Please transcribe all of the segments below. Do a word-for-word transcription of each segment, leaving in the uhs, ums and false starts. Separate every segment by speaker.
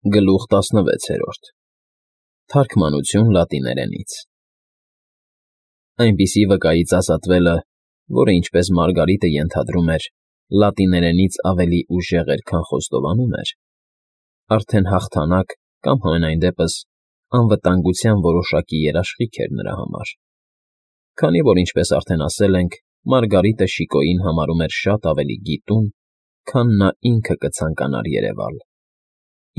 Speaker 1: Գլուխ տասնվեցերորդ Թարգմանություն լատիներենից Այնպիսի վկայից ազատվելը, որը, ինչպես Մարգարիտը ենթադրում էր, լատիներենից ավելի ուժեղ էր, քան խոստովանում էր, արդեն հաղթանակ կամ համենայն դեպս անվտանգության որոշակի երաշխիք էր նրա համար, քանի որ, ինչպես արդեն ասել ենք, Մարգարիտը Շիկոյին համարում էր շատ ավելի գիտուն, քան նա ինքը կցանկանար երևալ,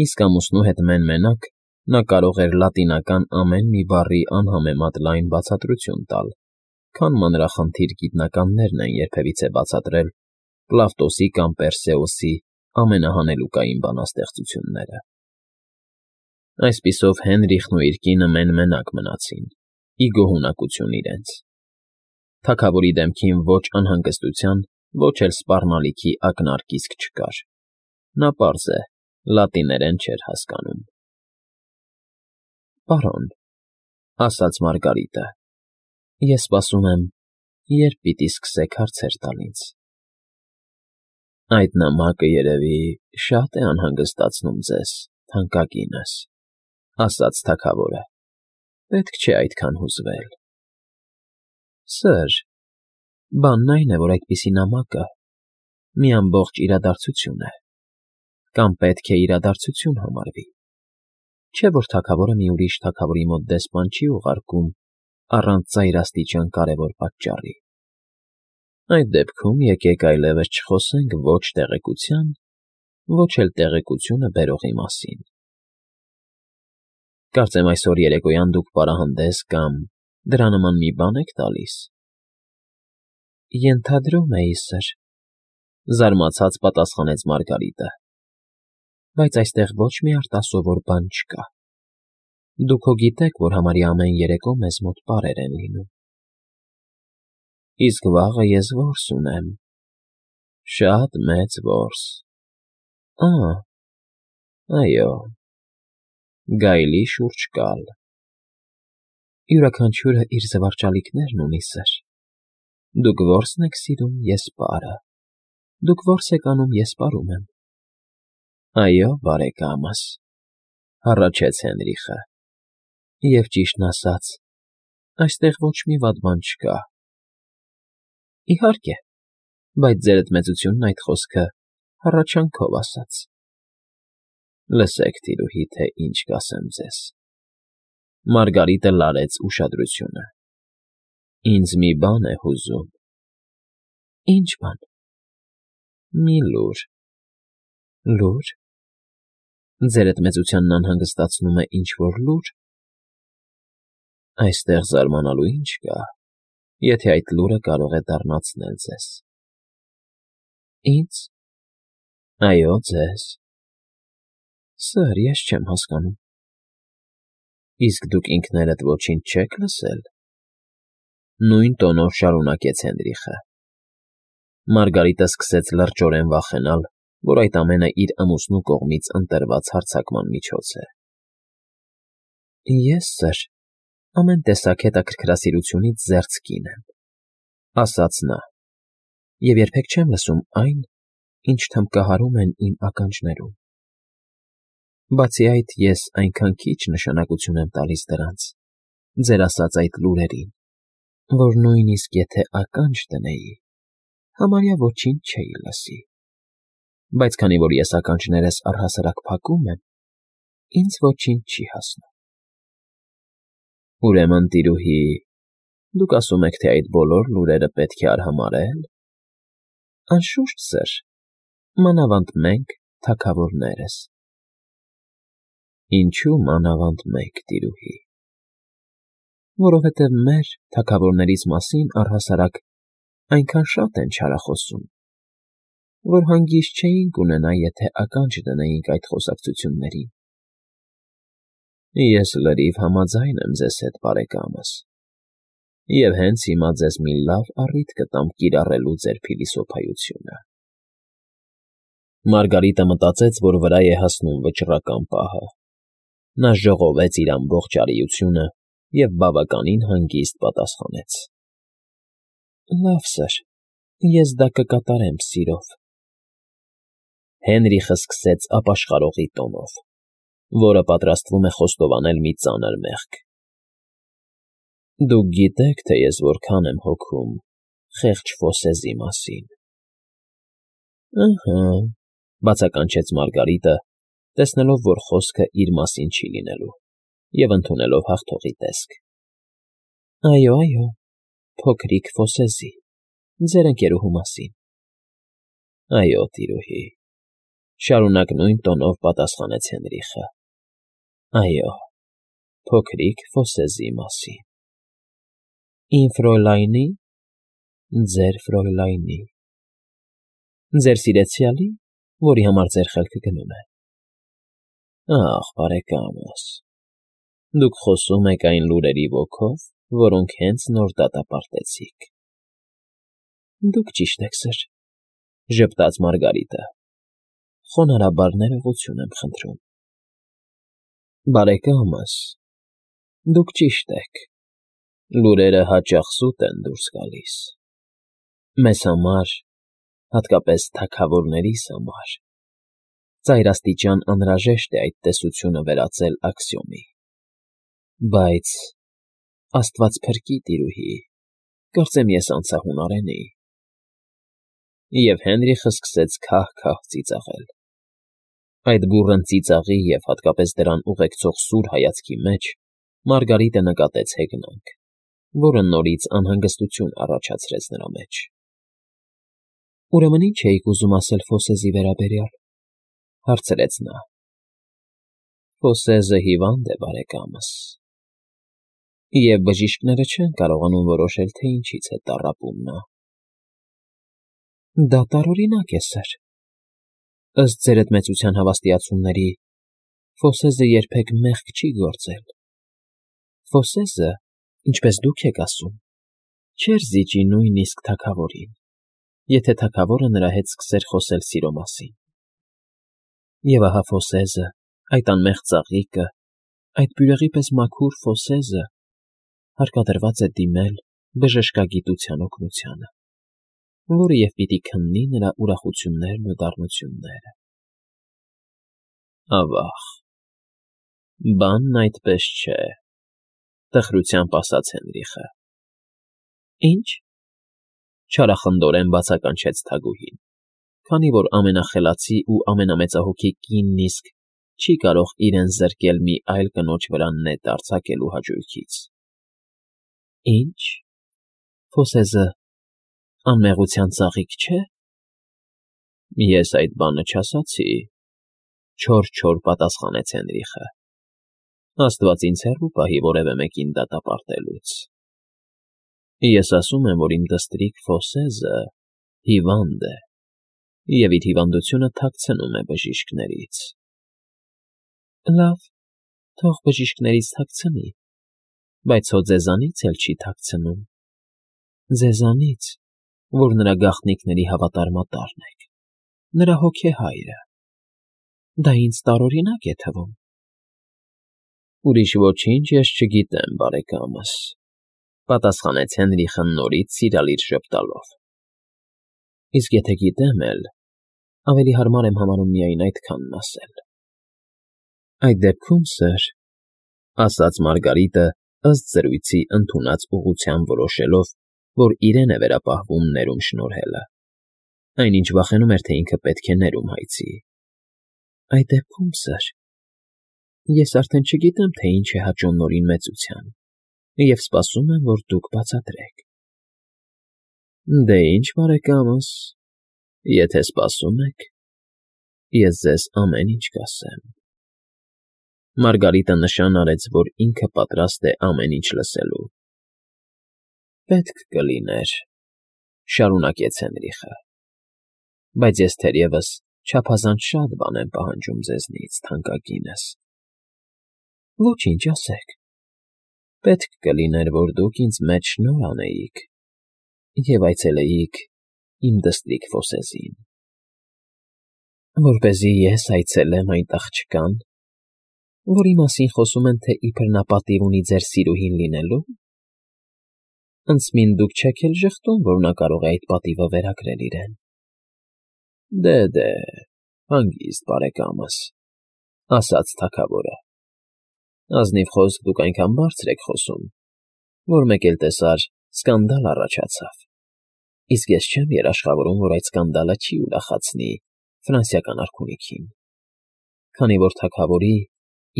Speaker 1: իսկ ամուսնու հետ մեն֊մենակ նա կարող էր լատինական ամեն մի բառի անհամեմատ լայն բացատրություն տալ, քան մանրախնդիր գիտնականներն են երբևիցե բացատրել Պլավտոսի կամ Պերսեոսի ամենահանելուկային բանաստեղծությունները։ Այսպիսով Հենրիխն ու իր կինը մեն֊մենակ մնացին, ի գոհունակություն իրենց։ Թագավորի դեմքին ոչ անհանգստության, ոչ էլ սպառնալիքի ակնարկ իսկ չկար։ Նա պարզ է, լատիներեն չէր հասկանում։ ֊ Պարոն,֊ ասաց Մարգարիտը,֊ ես սպասում եմ, երբ պիտի սկսեք հարցեր տալ ինձ։ ֊ Այդ նամակը, երևի, շատ է անհանգստացնում ձեզ, թանկագինս,֊ ասաց թագավորը,֊ պետք չէ այդքան հուզվել։ ֊ Սըր, բանն այն է, որ այդպիսի նամակը մի ամբողջ իրադարձություն է, կամ պետք է իրադարձություն համարվի, չէ՞ որ թագավորը մի ուրիշ թագավորի մոտ դեսպան չի ուղարկում առանց ծայրաստիճան կարևոր պատճառի։ Այդ դեպքում եկեք այլևս չխոսենք ոչ տեղեկության, ոչ էլ տեղեկությունը բերողի մասին։ Կարծեմ այսօր երեկոյան դուք պարահանդես կամ դրա նման մի բան եք տալիս։ ֊ Ենթադրում էի, սըր,֊ զարմացած պատասխանեց Մարգարիտը,֊ բայց այստեղ ոչ մի արտասովոր բան չկա։ Դուք հո գիտեք, որ համարյա ամեն երեկո մեզ մոտ պարեր են լինում։ ֊ Իսկ վաղը ես որս ունեմ, շատ մեծ որս։ ֊ Ա՛, այո, գայլի շուրջկալ։ ֊ Յուրաքանչյուրը իր զվարճալիքներն ունի, սըր։ Դուք որսն եք սիրում, ես պարը, դուք որս եք անում, ես պարում եմ։ ֊ Այո, բարեկամս,֊ հառաչեց Հենրիխը,֊ և ճիշտն ասած, այստեղ ոչ մի վատ բան չկա։ ֊ Իհարկե, բայց ձերդ մեծությունն այդ խոսքը հառաչանքով ասաց։ ֊ Լսեք, տիրուհի, թե ինչ կասեմ ձեզ,֊ Մարգարիտը լարեց ուշադրությունը,֊ ինձ մի բան է հուզում։ ֊ Ի՞նչ բան։ ֊ Մի լուր։ ֊ Լո՞ւր։ Ձերդ մեծությանն անհանգստացնում է ինչ֊որ լուր։ ֊ Այստեղ զարմանալու ինչ կա, եթե այդ լուրը կարող է դառնացնել ձեզ։ ֊ Ինձ։ ֊ Այո, ձեզ։ ֊ Սըր, ես չեմ հասկանում։ ֊ Իսկ դուք ինքներդ ոչինչ չեք լսել,֊ նույն տոնով շարունակեց Հենրիխը։ Մարգարիտը սկսեց լրջորեն վախենալ, որ այդ ամենը իր ամուսնու կողմից ընտրված հարձակման միջոց է։ ֊ Ես, սըր, ամեն տեսակ հետաքրքրասիրությունից զերծ կին եմ,֊ ասաց նա,֊ և երբեք չեմ լսում այն, ինչ թմբկահարում են իմ ականջներում։ Բացի այդ, ես այնքան քիչ նշանակություն եմ տալիս դրանց, ձեր ասած այդ լուրերին, որ նույնիսկ եթե ականջ դնեի, համարյա ոչինչ չէի լսի, բայց քանի որ ես ականջներս առհասարակ փակում եմ, ինձ ոչինչ չի հասնում։ ֊ Ուրեմն, տիրուհի, դուք ասում եք, թե այդ բոլոր լուրերը պետք է արհամարհել։ ֊ Անշուշտ, սըր, մանավանդ մենք, թագավորներս։ ֊ Ինչո՞ւ մանավանդ մենք, տիրուհի։ ֊ Որովհետև մեր, թագավորներիս մասին, առհասարակ, այնքան շատ են չարախոսում, որ հանգիստ չէինք ունենա, եթե ականջ դնեինք այդ խոսակցություններին։ ֊ Ես լրիվ համաձայն եմ ձեզ հետ, բարեկամս, և հենց հիմա ձեզ մի լավ առիթ կտամ կիրառելու ձեր փիլիսոփայությունը։ Մարգարիտը մտածեց, որ վրա է հասնում վճռական պահը։ Նա ժողովեց իր ամբողջ արիությունը և բավականին հանգիստ պատասխանեց. ֊ Լավ, սըր, ես դա կկատարեմ սիրով։ Հենրիխը սկսեց ապաշխարողի տոնով. որը պատրաստվում է խոստովանել մի ծանր մեղք։ Դուք գիտեք, թե ես որքան եմ հոգում խեղճ Ֆոսեզի մասին։ Ըհը, բացականչեց Մարգարիտը, տեսնելով, որ խոսքը իր մասին չի լինելու, և ընդունելով հաղթողի տեսք։ Այո, այո, փոքրիկ Ֆոսեզի, ձեր ընկերուհու մասին։ Այո, տիրուհի, շարունակ նույն տոնով պատասխանեց Հենրիխը։ Այո, փոքրիկ Ֆոսեզի մասին։ Իմ Ֆրոյլայնի, ձեր Ֆրոյլայնի։ Ձեր սիրեցյալի, որի համար ձեր խելքը գնում է։ Ախ, բարեկամս, դուք խոսում եք այն լուրերի ոգով, որոնք հենց նոր դատապարտեցիք։ Դուք ճիշտ եք, սըր, ժպտաց Մարգարիտը։ Խոնարհաբար ներողություն եմ խնդրում։ Բարեկամս, դուք ճիշտ եք։ Լուրերը հաճախ սուտ են դուրս գալիս։ Մեզ համար, հատկապես թագավորներիս համար, ծայրաստիճան անհրաժեշտ է այդ տեսությունը վերածել աքսիոմի։ Բայց, Աստված փրկի, տիրուհի, կարծեմ ես անցա հունարեն էի։ Եվ Հենրիխը սկսեց քահ֊քահ ծիծաղել։ Այդ բուռն ծիծաղի և հատկապես դրան ուղեկցող սուր հայացքի մեջ Մարգարիտը նկատեց հեգնանք, որը նորից անհանգստություն առաջացրեց նրա մեջ։ Ուրեմն ի՞նչ էիք ուզում ասել Ֆոսեզի վերաբերյալ, հարցրեց նա։ Ֆոսեզը հիվանդ է, բարեկամս, և բժիշկները չեն կարողանում որոշել, թե ինչից է տառապում նա։ Դա տարօրինակ է, սըր։ Ըստ ձեր էդ մեծության հավաստիացումների, Ֆոսեզը երբեք մեղք չի գործել։ Ֆոսեզը, ինչպես դուք եք ասում, չէր զիջի նույնիսկ թագավորին, եթե թագավորը նրա հետ սկսեր խոսել սիրո մասին։ Եվ ահա Ֆոսեզը, այդ անմեղ ծաղիկը, այդ բյուրեղի պես մաքուր Ֆոսեզը հարկադրված է դիմել բժշկագիտության օգնությանը, որը և պիտի քննի նրա ուրախություններն ու դառնությունները։ Ավա՜ղ, բանն այդպես չէ, տխրությամբ ասաց Հենրիխը։ Ի՞նչ, չարախնդորեն բացականչեց թագուհին, քանի որ ամենախելացի ու ամենամեծահոգի կինն իսկ չի կարող իրեն զրկել մի այլ կնոջ վրա նետ արձակելու հաճույքից։ Ի՞նչ, Ֆոսեզը անմեղության ծաղիկ չէ։ Ես այդ բանը չասացի, չոր-չոր պատասխանեց Հենրիխը։ Աստված ինձ հեռու պահի որևէ մեկին դատապարտելուց։ Ես ասում եմ, որ իմ դստրիկ Ֆոսեզը հիվանդ է, և իր հիվանդությունը թաքցնում է բժիշկներից։ Լավ, թող բժիշկներից թաքցնի, բայց հո ձեզանից էլ չի թաքցնում։ Ձեզանից, որ նրա գաղտնիքների հավատարմատարն եք, նրա հոգեհայրը։ Դա ինձ տարօրինակ է թվում։ Ուրիշ ոչինչ ես չգիտեմ, բարեկամս, պատասխանեց Հենրիխը նորից սիրալիր ժպտալով։ Իսկ եթե գիտեմ էլ, ավելի հարմար եմ համարում միայն այդքանն ասել։ Այդ դեպքում, սըր, ասաց Մարգարիտը, ըստ զրույցի ընդունած ուղղության որոշելով, որ իրեն է վերապահվում ներում շնորհելը, այնինչ վախենում էր, թե ինքը պետք է ներում հայցի։ Այդ դեպքում, սըր, ես արդեն չգիտեմ, թե ինչ է հաճոն նորին մեծության, և սպասում եմ, որ դուք բացատրեք։ Դե ինչ, բարեկամս, եթե սպասում եք, ես ձեզ ամեն ինչ կասեմ։ Մարգարիտը նշան արեց, որ ինքը պատրաստ է ամեն ինչ լսելու։ Պետք կլիներ, շարունակեց Հենրիխը, բայց ես թերևս չափազանց շատ բան եմ պահանջում ձեզնից, թանկագինս։ Ոչինչ, ասեք։ Պետք կլիներ, որ դուք ինձ մեջ շնորհ անեիք և այցելեիք իմ դստրիկ Ֆոսեզին, որպեսզի ես այցելեմ այդ աղջկան, որի մասին խոսում են, թե իբր նա պատիվ ունի ձեր սիրուհին լինելու։ Անցմին դուք չեք էլ ժխտում, որ նա կարող է այդ պատիվը վերագրել իրեն։ Դե, դե, հանգիստ, բարեկամս, ասաց թագավորը։ Ազնիվ խոսք դուք այնքան բարձր եք խոսում, որ մեկ էլ տեսար սկանդալ առաջացավ, իսկ ես չեմ երաշխավորում, որ այդ սկանդալը չի ուրախացնի ֆրանսիական արքունիքին, քանի որ թագավորի,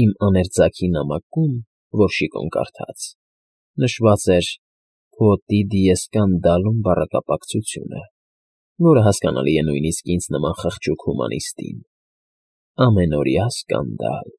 Speaker 1: իմ աներձակի նամակում, որ շիկուն կարդաց, նշված էր «Փոտի դիեսկանդալում» բառակապակցությունը, որը հասկանալի է նույնիսկ ինձ նման խղճուկ հումանիստին. ամենօրյա սկանդալ։